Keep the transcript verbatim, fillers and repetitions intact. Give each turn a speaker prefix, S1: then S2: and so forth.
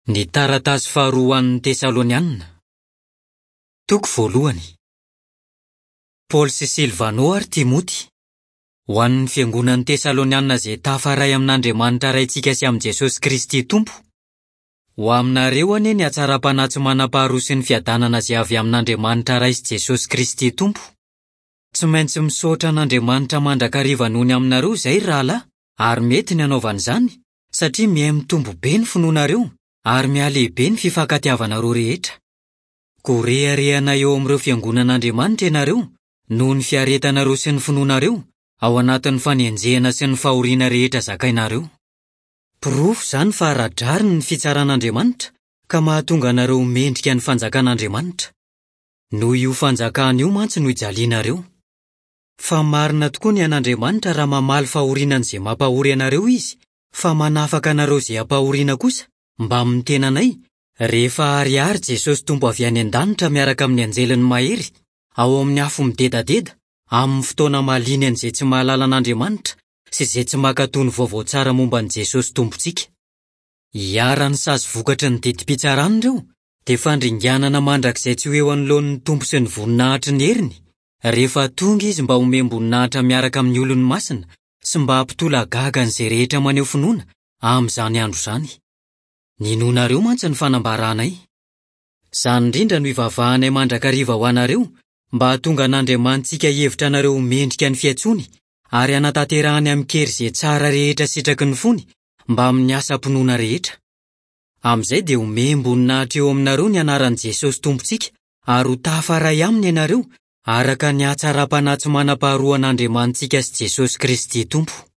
S1: Ny taratasy faharoa ho an'ny Tesalonianina. Toko voalohany. Paoly sy Silvano ary Timoty. Ho an'ny fiangonan'ny Tesalonianina izay tafaray amin'Andriamanitra Raintsika sy amin'i Jesosy Kristy Tompo. Ho aminareo anie ny hatsaram-panahy tsy manam-paharoa sy ny fiadanana izay avy amin'Andriamanitra Ray sy Jesosy Kristy Tompo. Tsy maintsy misaotra an'Andriamanitra mandrakariva noho ny aminareo izay ry rahalahy, ary mety ny hanaovana izany, satria mihamitombo be ny finoanareo ary mihalehibe ny fifankatiavanareo rehetra. Koa reharehana eo amin'ireo fiangonan'Andriamanitra ianareo noho ny fiaretanareo sy ny finoanareo ao anatin'ny fanenjehana sy ny fahoriana rehetra zakainareo. Porofo izany fa ara-drariny ny fitsaran'Andriamanitra ka mahatonga anareo ho mendrika ny fanjakan'Andriamanitra. Noho io fanjakana io mantsy no ijalianareo. Fa marina tokoa ny an'Andriamanitra raha mamaly fahoriana an'izay mampahory anareo izy, fa manafaka anareo izay ampahoriana kosa mbamin'ny tenanay rehefa ariary Jesosy Tompo avy any an-danitra miaraka amin'ny anjeliny mahery ao amin'ny afo midedadeda amin'ny fotoana mahaliana an'izay tsy mahalala an'Andriamanitra sy izay tsy mankatò ny vaovao tsara momba an'i Jesosy Tompontsika. Iharan'ny sazy vokatry ny didim-pitsarana ireo dia fandringanana mandrakizay tsy ho eo anoloan'ny Tompo sy ny voninahitry ny heriny rehefa tonga izy mba homem-boninahitra miaraka amin'ny olony masina sy mba hampitolagaga an'izay rehetra maneho finoana amin'izany andro izany. Ninoanareo mantsy ny fanambaranay. Izany indrindra no ivavahanay mandrakariva ho anareo mba hahatonga an'Andriamanitsika hihevitra anareo ho mendrika ny fiantsoany ary hanatanterahany amin-kery izay tsara rehetra sitraky ny fony mbamin'ny asam-pinoana rehetra. Amin'izay dia homem-boninahitra eo aminareo ny anaran'i Jesosy Tompontsika ary ho tafaray aminy ianareo araka ny hatsaram-panahy tsy manam-paharoa an'Andriamanitsika sy Jesosy Kristy Tompo.